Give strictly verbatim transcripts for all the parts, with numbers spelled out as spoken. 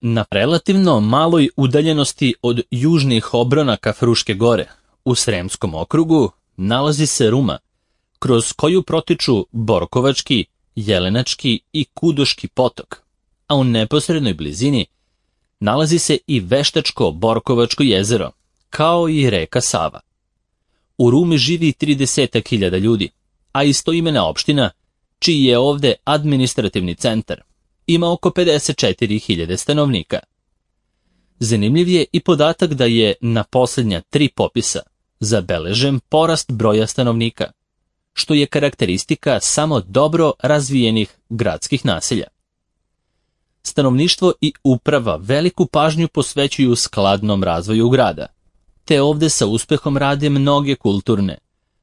Na relativno maloj udaljenosti od južnih obronaka Fruške gore, u Sremskom okrugu, nalazi se Ruma, kroz koju protiču Borkovački, Jelenački i Kudoški potok, a u neposrednoj blizini nalazi se i Veštačko-Borkovačko jezero, kao i reka Sava. U Rumi živi trideset hiljada ljudi, a istoimena opština, čiji je ovde administrativni centar, ima oko pedeset četiri hiljade stanovnika. Zanimljiv je i podatak da je na posljednja tri popisa zabeležen porast broja stanovnika, što je karakteristika samo dobro razvijenih gradskih naselja. Stanovništvo i uprava veliku pažnju posvećuju skladnom razvoju grada, te ovde sa uspehom rade mnoge kulturne,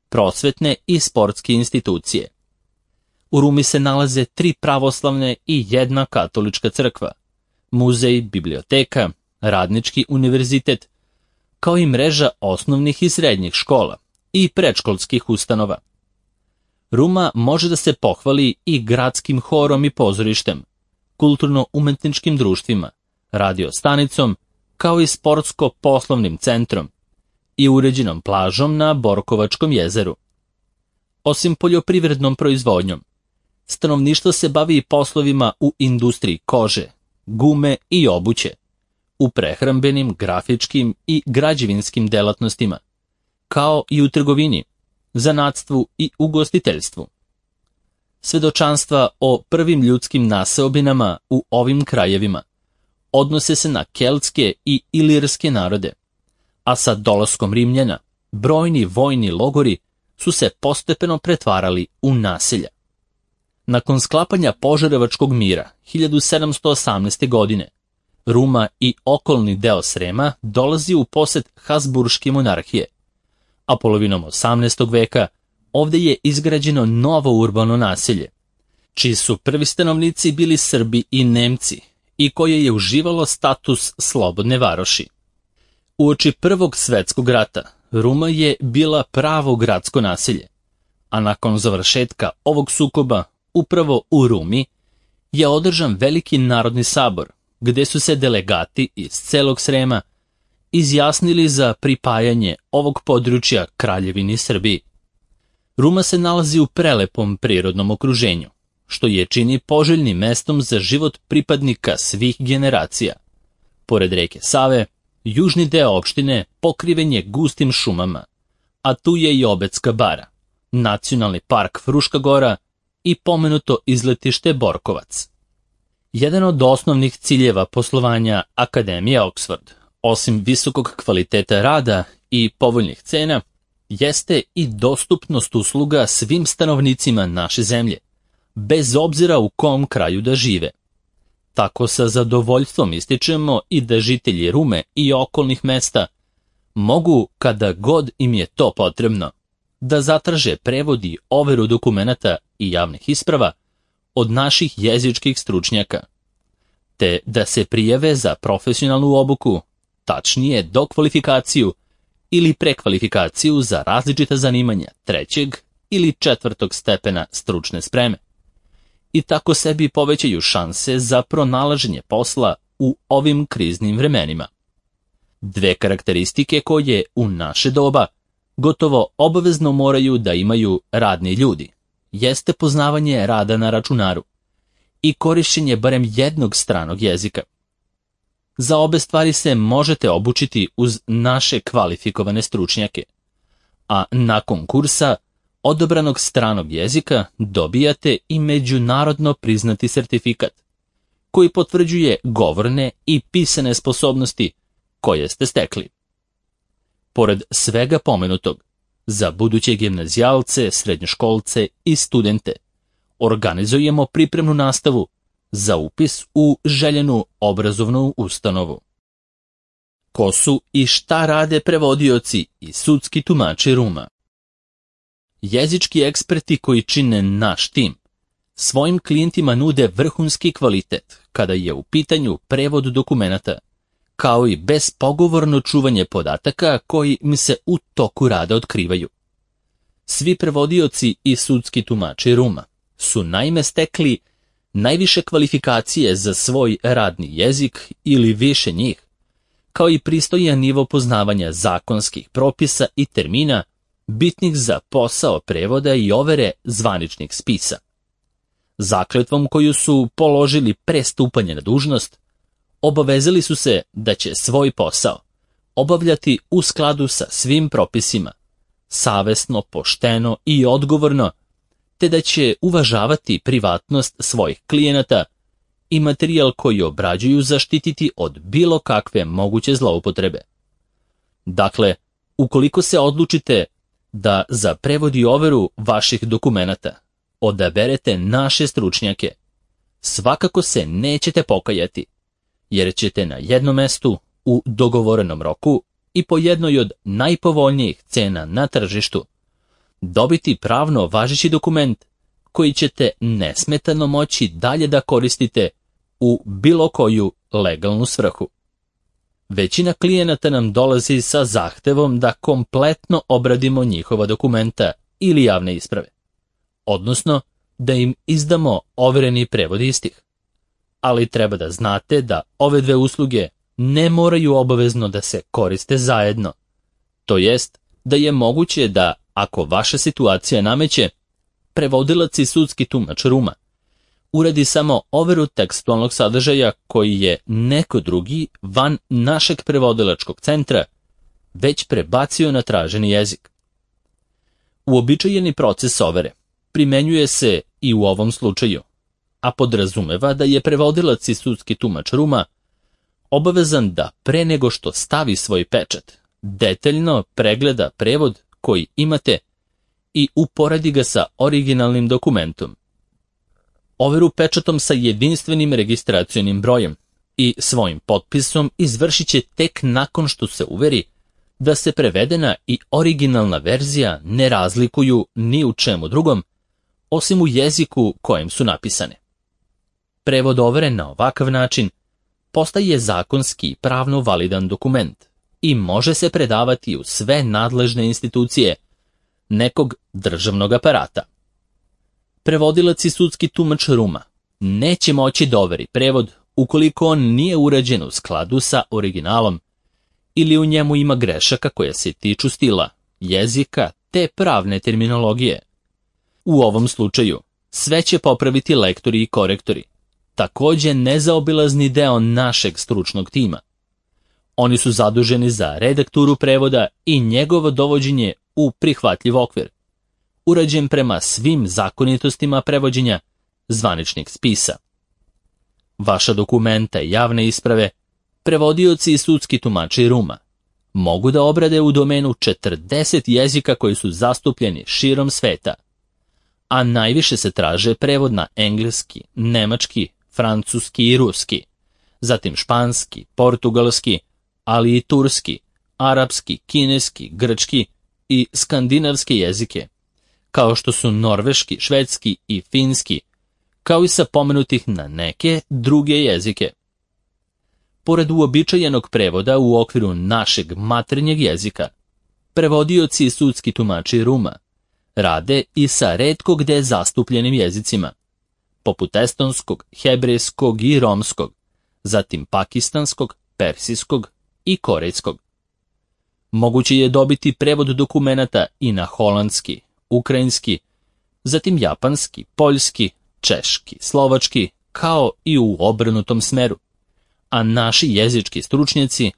prosvetne i sportske institucije. U Rumi se nalaze tri pravoslavne i jedna katolička crkva, muzej, biblioteka, radnički univerzitet, kao i mreža osnovnih i srednjih škola i predškolskih ustanova. Ruma može da se pohvali i gradskim horom i pozorištem, kulturno-umetničkim društvima, radio stanicom, kao i sportsko-poslovnim centrom i uređenom plažom na Borkovačkom jezeru. Osim poljoprivrednom proizvodnjom, stanovništvo se bavi i poslovima u industriji kože, gume i obuće, u prehrambenim, grafičkim i građevinskim delatnostima, kao i u trgovini, zanatstvu i ugostiteljstvu. Svedočanstva o prvim ljudskim naseobinama u ovim krajevima odnose se na keltske i ilirske narode, a sa dolaskom Rimljana brojni vojni logori su se postepeno pretvarali u naselja. Nakon sklapanja Požarevačkog mira hiljadu sedamsto osamnaeste. godine, Ruma i okolni deo Srema dolazi u posed Habsburške monarhije, a polovinom osamnaestog veka ovde je izgrađeno novo urbano naselje, čiji su prvi stanovnici bili Srbi i Nemci i koje je uživalo status slobodne varoši. Uoči Prvog svetskog rata Ruma je bila pravo gradsko naselje, a nakon završetka ovog sukoba upravo u Rumi je održan veliki narodni sabor, gde su se delegati iz celog Srema izjasnili za pripajanje ovog područja Kraljevini Srbiji. Ruma se nalazi u prelepom prirodnom okruženju, što je čini poželjnim mestom za život pripadnika svih generacija. Pored reke Save, južni deo opštine pokriven je gustim šumama, a tu je i Obedska bara, nacionalni park Fruška gora i pomenuto izletište Borkovac. Jedan od osnovnih ciljeva poslovanja Akademije Oxford, osim visokog kvaliteta rada i povoljnih cena, jeste i dostupnost usluga svim stanovnicima naše zemlje, bez obzira u kom kraju da žive. Tako sa zadovoljstvom ističemo i da žitelji Rume i okolnih mesta mogu, kada god im je to potrebno, da zatraže prevod i overu dokumenata i javnih isprava od naših jezičkih stručnjaka, te da se prijave za profesionalnu obuku, tačnije dokvalifikaciju ili prekvalifikaciju za različita zanimanja trećeg ili četvrtog stepena stručne spreme. I tako sebi povećaju šanse za pronalaženje posla u ovim kriznim vremenima. Dve karakteristike koje u naše doba gotovo obavezno moraju da imaju radni ljudi jeste poznavanje rada na računaru i korišćenje barem jednog stranog jezika. Za obe stvari se možete obučiti uz naše kvalifikovane stručnjake, a nakon kursa odobranog stranog jezika dobijate i međunarodno priznati sertifikat, koji potvrđuje govorne i pisane sposobnosti koje ste stekli. Pored svega pomenutog, za buduće gimnazijalce, srednjoškolce i studente organizujemo pripremnu nastavu za upis u željenu obrazovnu ustanovu. Ko su i šta rade prevodioci i sudski tumači Ruma? Jezički eksperti koji čine naš tim svojim klijentima nude vrhunski kvalitet kada je u pitanju prevod dokumenata, kao i bespogovorno čuvanje podataka koji im se u toku rada otkrivaju. Svi prevodioci i sudski tumači Ruma su naime stekli najviše kvalifikacije za svoj radni jezik ili više njih, kao i pristojan nivo poznavanja zakonskih propisa i termina bitnih za posao prevoda i overe zvaničnih spisa. Zakletvom koju su položili pre stupanja na dužnost, obavezali su se da će svoj posao obavljati u skladu sa svim propisima, savesno, pošteno i odgovorno, te da će uvažavati privatnost svojih klijenata i materijal koji obrađuju zaštititi od bilo kakve moguće zloupotrebe. Dakle, ukoliko se odlučite da za prevod i overu vaših dokumenata odaberete naše stručnjake, svakako se nećete pokajati, jer ćete na jednom mestu u dogovorenom roku i po jednoj od najpovoljnijih cena na tržištu dobiti pravno važeći dokument koji ćete nesmetano moći dalje da koristite u bilo koju legalnu svrhu. Većina klijenata nam dolazi sa zahtevom da kompletno obradimo njihova dokumenta ili javne isprave, odnosno da im izdamo overeni prevod istih. Ali treba da znate da ove dve usluge ne moraju obavezno da se koriste zajedno. To jest da je moguće da, ako vaša situacija nameće, prevodilac i sudski tumač Ruma uradi samo overu tekstualnog sadržaja koji je neko drugi van našeg prevodilačkog centra već prebacio na traženi jezik. Uobičajeni proces overe primenjuje se i u ovom slučaju, a podrazumeva da je prevodilac i sudski tumač Ruma obavezan da pre nego što stavi svoj pečat detaljno pregleda prevod koji imate i uporedi ga sa originalnim dokumentom. Overu pečatom sa jedinstvenim registracionim brojem i svojim potpisom izvršit će tek nakon što se uveri da se prevedena i originalna verzija ne razlikuju ni u čemu drugom, osim u jeziku kojem su napisane. Prevod overe na ovakav način postaje zakonski i pravno validan dokument i može se predavati u sve nadležne institucije nekog državnog aparata. Prevodilac i sudski tumač Ruma neće moći da overi prevod ukoliko on nije urađen u skladu sa originalom ili u njemu ima grešaka koje se tiču stila, jezika te pravne terminologije. U ovom slučaju sve će popraviti lektori i korektori, takođe nezaobilazni deo našeg stručnog tima. Oni su zaduženi za redakturu prevoda i njegovo dovođenje u prihvatljiv okvir, urađen prema svim zakonitostima prevođenja zvaničnih spisa. Vaša dokumenta i javne isprave prevodioci i sudski tumači Ruma mogu da obrade u domenu četrdeset jezika koji su zastupljeni širom sveta, a najviše se traže prevod na engleski, nemački, francuski i ruski, zatim španski, portugalski, ali i turski, arapski, kineski, grčki i skandinavske jezike, kao što su norveški, švedski i finski, kao i sa pomenutih na neke druge jezike. Pored uobičajenog prevoda u okviru našeg maternjeg jezika, prevodioci i sudski tumači Ruma rade i sa retko gde zastupljenim jezicima, poput estonskog, hebrejskog i romskog, zatim pakistanskog, persijskog i korejskog. Moguće je dobiti prevod dokumenata i na holandski, ukrajinski, zatim japanski, poljski, češki, slovački, kao i u obrnutom smeru, a naši jezički stručnjaci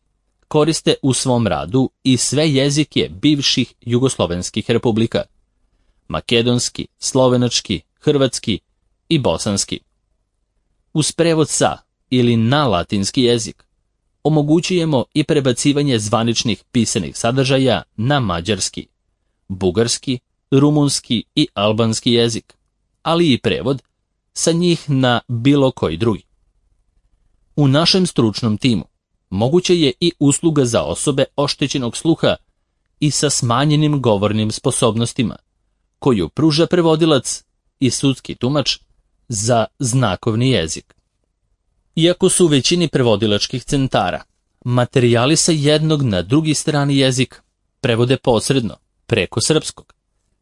koriste u svom radu i sve jezike bivših jugoslovenskih republika, makedonski, slovenački, hrvatski i bosanski. Uz prevod sa ili na latinski jezik omogućujemo i prebacivanje zvaničnih pisanih sadržaja na mađarski, bugarski, rumunski i albanski jezik, ali i prevod sa njih na bilo koji drugi. U našem stručnom timu moguće je i usluga za osobe oštećenog sluha i sa smanjenim govornim sposobnostima, koju pruža prevodilac i sudski tumač za znakovni jezik. Iako su u većini prevodilačkih centara materijali sa jednog na drugi strani jezik prevode posredno, preko srpskog,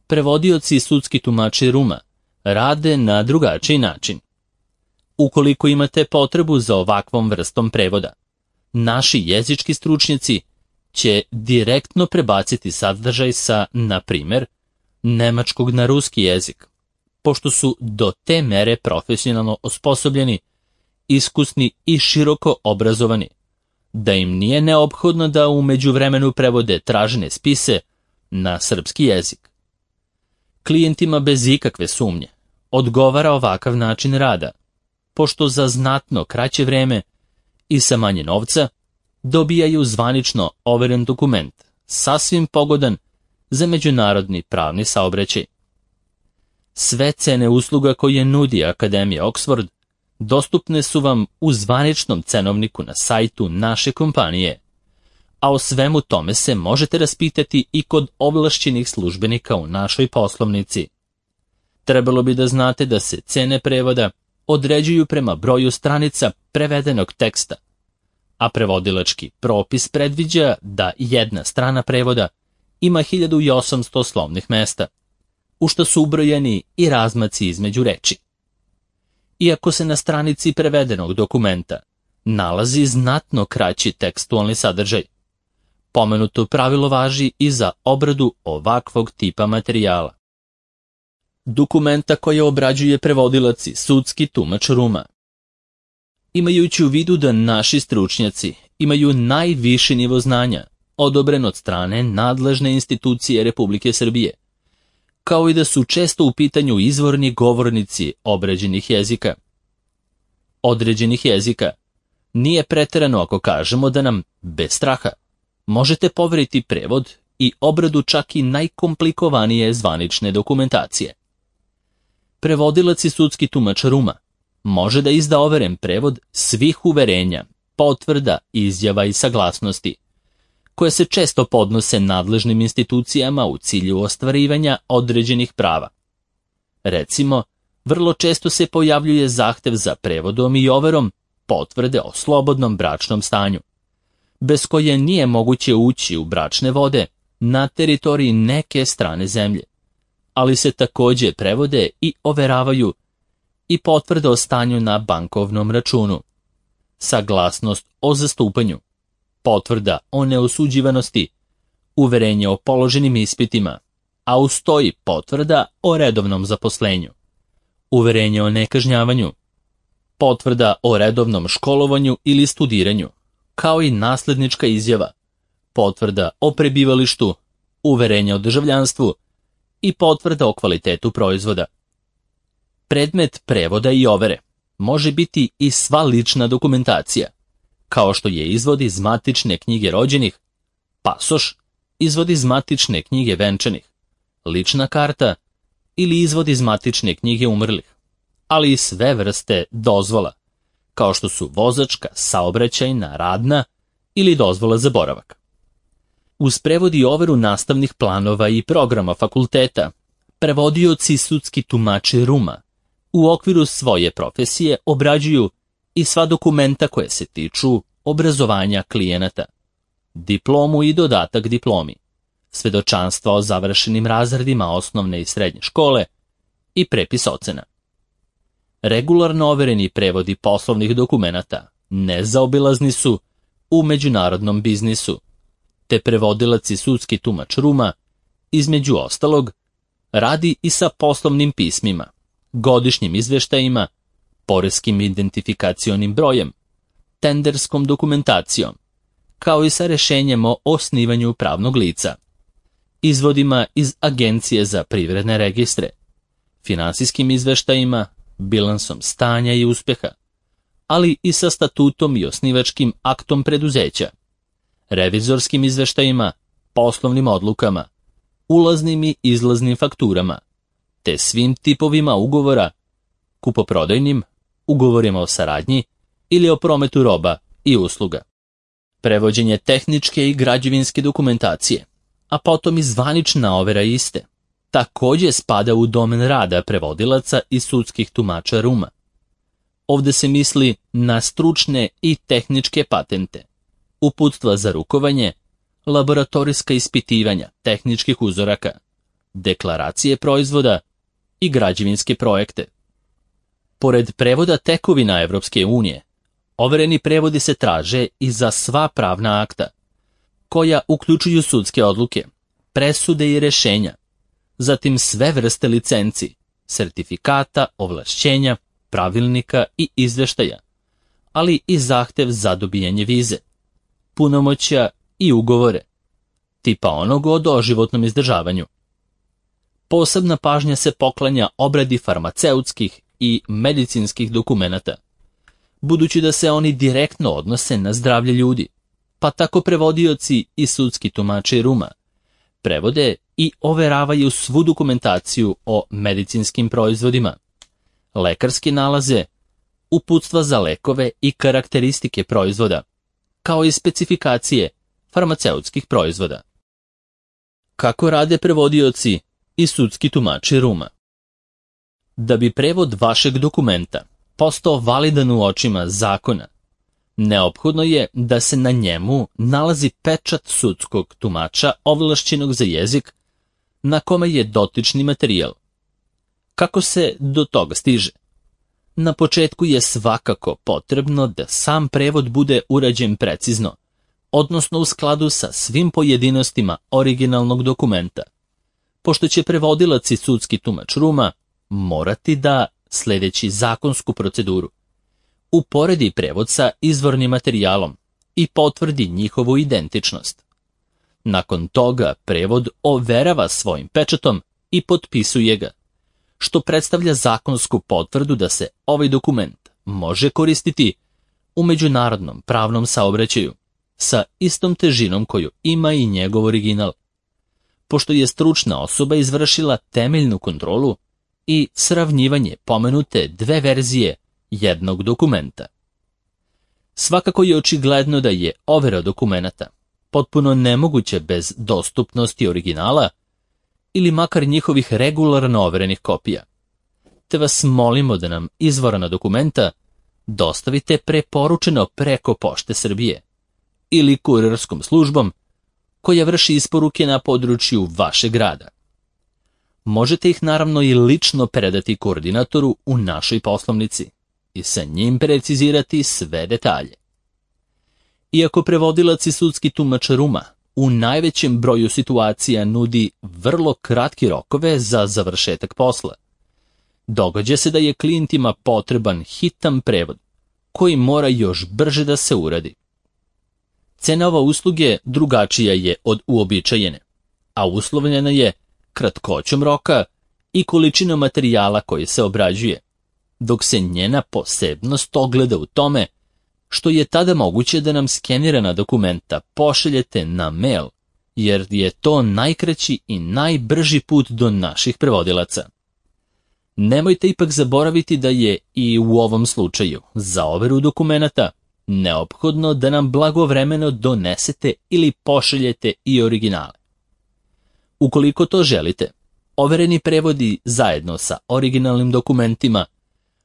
prevodioci i sudski tumači Ruma rade na drugačiji način. Ukoliko imate potrebu za ovakvom vrstom prevoda, naši jezički stručnjaci će direktno prebaciti sadržaj sa, na primjer, nemačkog na ruski jezik, pošto su do te mere profesionalno osposobljeni, iskusni i široko obrazovani, da im nije neophodno da u međuvremenu prevode tražene spise na srpski jezik. Klijentima bez ikakve sumnje odgovara ovakav način rada, pošto za znatno kraće vreme i sa manje novca dobijaju zvanično overen dokument, sasvim pogodan za međunarodni pravni saobraćaj. Sve cene usluga koje nudi Akademija Oxford dostupne su vam u zvaničnom cenovniku na sajtu naše kompanije, a o svemu tome se možete raspitati i kod ovlašćenih službenika u našoj poslovnici. Trebalo bi da znate da se cene prevoda određuju prema broju stranica prevedenog teksta, a prevodilački propis predviđa da jedna strana prevoda ima hiljadu osamsto slovnih mesta, u što su ubrojeni i razmaci između reči. Iako se na stranici prevedenog dokumenta nalazi znatno kraći tekstualni sadržaj, pomenuto pravilo važi i za obradu ovakvog tipa materijala. Dokumenta koje obrađuje prevodilac i sudski tumač Ruma. Imajući u vidu da naši stručnjaci imaju najviši nivo znanja, odobren od strane nadležne institucije Republike Srbije, kao i da su često u pitanju izvorni govornici obrađenih jezika. Određenih jezika nije preterano ako kažemo da nam, bez straha, možete poveriti prevod i obradu čak i najkomplikovanije zvanične dokumentacije. Prevodilac i sudski tumač Ruma može da izda overen prevod svih uverenja, potvrda, izjava i saglasnosti, koje se često podnose nadležnim institucijama u cilju ostvarivanja određenih prava. Recimo, vrlo često se pojavljuje zahtev za prevodom i overom potvrde o slobodnom bračnom stanju, bez koje nije moguće ući u bračne vode na teritoriji neke strane zemlje, ali se također prevode i overavaju i potvrde o stanju na bankovnom računu, saglasnost o zastupanju, potvrda o neosuđivanosti, uverenje o položenim ispitima, a uz to i potvrda o redovnom zaposlenju, uverenje o nekažnjavanju, potvrda o redovnom školovanju ili studiranju, kao i naslednička izjava, potvrda o prebivalištu, uverenje o državljanstvu i potvrda o kvalitetu proizvoda. Predmet prevoda i overe može biti i sva lična dokumentacija, kao što je izvod iz matične knjige rođenih, pasoš, izvod iz matične knjige venčanih, lična karta ili izvod iz matične knjige umrlih, ali i sve vrste dozvola, kao što su vozačka, saobraćajna, radna ili dozvola za boravak. Uz prevod i overu nastavnih planova i programa fakulteta, prevodioci i sudski tumači Ruma u okviru svoje profesije obrađuju i sva dokumenta koje se tiču obrazovanja klijenata, diplomu i dodatak diplomi, svedočanstva o završenim razredima osnovne i srednje škole i prepis ocena. Regularno overeni prevodi poslovnih dokumenata nezaobilazni su u međunarodnom biznisu, te prevodilac i sudski tumač Ruma, između ostalog, radi i sa poslovnim pismima, godišnjim izveštajima, poreskim identifikacionim brojem, tenderskom dokumentacijom, kao i sa rešenjem o osnivanju pravnog lica, izvodima iz Agencije za privredne registre, finansijskim izveštajima, bilansom stanja i uspeha, ali i sa statutom i osnivačkim aktom preduzeća, revizorskim izveštajima, poslovnim odlukama, ulaznim i izlaznim fakturama, te svim tipovima ugovora, kupoprodajnim, ugovorima o saradnji ili o prometu roba i usluga. Prevođenje tehničke i građevinske dokumentacije, a potom i zvanična overa iste, također spada u domen rada prevodilaca i sudskih tumača Ruma. Ovdje se misli na stručne i tehničke patente, uputstva za rukovanje, laboratorijska ispitivanja tehničkih uzoraka, deklaracije proizvoda i građevinske projekte. Pored prevoda tekovina Evropske unije, overeni prevodi se traže i za sva pravna akta, koja uključuju sudske odluke, presude i rešenja, zatim sve vrste licenci, sertifikata, ovlašćenja, pravilnika i izveštaja, ali i zahtev za dobijanje vize, punomoćja i ugovore, tipa onog o doživotnom izdržavanju. Posebna pažnja se poklanja obradi farmaceutskih i medicinskih dokumenata, budući da se oni direktno odnose na zdravlje ljudi, pa tako prevodioci i sudski tumači Ruma prevode i overavaju svu dokumentaciju o medicinskim proizvodima, lekarske nalaze, uputstva za lekove i karakteristike proizvoda, kao i specifikacije farmaceutskih proizvoda. Kako rade prevodioci i sudski tumači Ruma? Da bi prevod vašeg dokumenta postao validan u očima zakona, neophodno je da se na njemu nalazi pečat sudskog tumača ovlašćenog za jezik na kome je dotični materijal. Kako se do toga stiže? Na početku je svakako potrebno da sam prevod bude urađen precizno, odnosno u skladu sa svim pojedinostima originalnog dokumenta, pošto će prevodilac i sudski tumač Ruma morati da, sledeći zakonsku proceduru, uporedi prevod sa izvornim materijalom i potvrdi njihovu identičnost. Nakon toga prevod overava svojim pečatom i potpisuje ga, što predstavlja zakonsku potvrdu da se ovaj dokument može koristiti u međunarodnom pravnom saobraćaju sa istom težinom koju ima i njegov original, pošto je stručna osoba izvršila temeljnu kontrolu i sravnjivanje pomenute dve verzije jednog dokumenta. Svakako je očigledno da je overa dokumenata potpuno nemoguće bez dostupnosti originala ili makar njihovih regularno overenih kopija, te vas molimo da nam izvorna dokumenta dostavite preporučeno preko Pošte Srbije ili kurirskom službom koja vrši isporuke na području vašeg grada. Možete ih naravno i lično predati koordinatoru u našoj poslovnici i sa njim precizirati sve detalje. Iako prevodilac i sudski tumač Ruma u najvećem broju situacija nudi vrlo kratki rokove za završetak posla, događa se da je klijentima potreban hitan prevod koji mora još brže da se uradi. Cena ova usluge drugačija je od uobičajene, a uslovljena je kratkoćom roka i količinom materijala koji se obrađuje, dok se njena posebnost ogleda u tome što je tada moguće da nam skenirana dokumenta pošaljete na mail, jer je to najkraći i najbrži put do naših prevodilaca. Nemojte ipak zaboraviti da je i u ovom slučaju za overu dokumenata neophodno da nam blagovremeno donesete ili pošaljete i originale. Ukoliko to želite, overeni prevodi zajedno sa originalnim dokumentima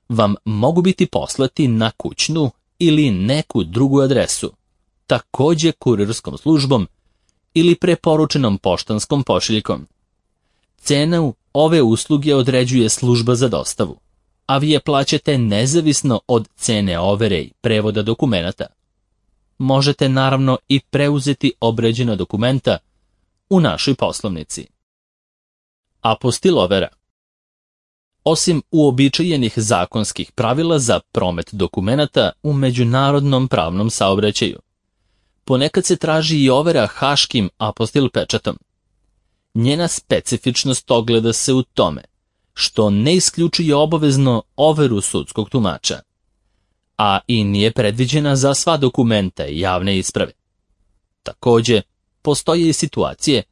vam mogu biti poslati na kućnu ili neku drugu adresu, takođe kurirskom službom ili preporučenom poštanskom pošiljkom. Cenu ove usluge određuje služba za dostavu, a vi je plaćate nezavisno od cene overe i prevoda dokumenata. Možete naravno i preuzeti obrađena dokumenta u našoj poslovnici. Apostil overa. Osim uobičajenih zakonskih pravila za promet dokumenata u međunarodnom pravnom saobraćaju, ponekad se traži i overa haškim apostil pečatom. Njena specifičnost ogleda se u tome što ne isključuje obavezno overu sudskog tumača, a i nije predviđena za sva dokumenta i javne isprave. Takođe, postoje i situacije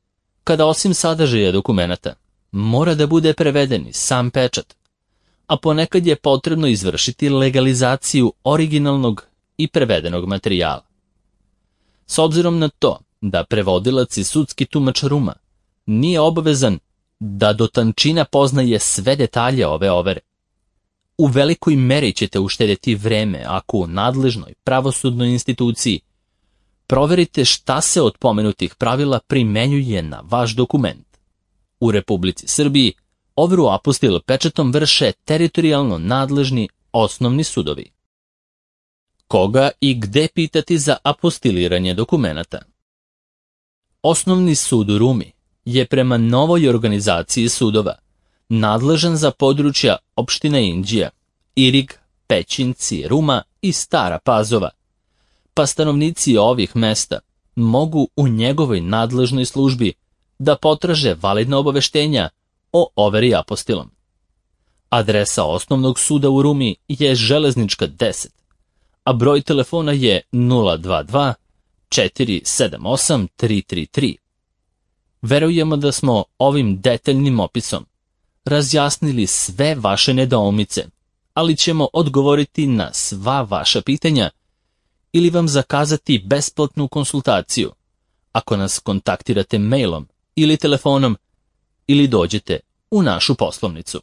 kada osim sadržaja dokumenata mora da bude preveden i sam pečat, a ponekad je potrebno izvršiti legalizaciju originalnog i prevedenog materijala. S obzirom na to da prevodilac i sudski tumač Ruma nije obavezan da do tančina poznaje sve detalje ove overe, u velikoj meri ćete uštedeti vreme ako u nadležnoj pravosudnoj instituciji proverite šta se od pomenutih pravila primenjuje na vaš dokument. U Republici Srbiji overu apostil pečatom vrše teritorijalno nadležni Osnovni sudovi. Koga i gde pitati za apostiliranje dokumenata? Osnovni sud u Rumi je prema novoj organizaciji sudova nadležan za područja opštine Inđija, Irig, Pećinci, Ruma i Stara Pazova, pa stanovnici ovih mesta mogu u njegovoj nadležnoj službi da potraže validna obaveštenja o overi apostilom. Adresa osnovnog suda u Rumi je Železnička deset, a broj telefona je nula dva dva četiri sedam osam tri tri tri. Verujemo da smo ovim detaljnim opisom razjasnili sve vaše nedoumice, ali ćemo odgovoriti na sva vaša pitanja ili vam zakazati besplatnu konsultaciju ako nas kontaktirate mailom ili telefonom ili dođete u našu poslovnicu.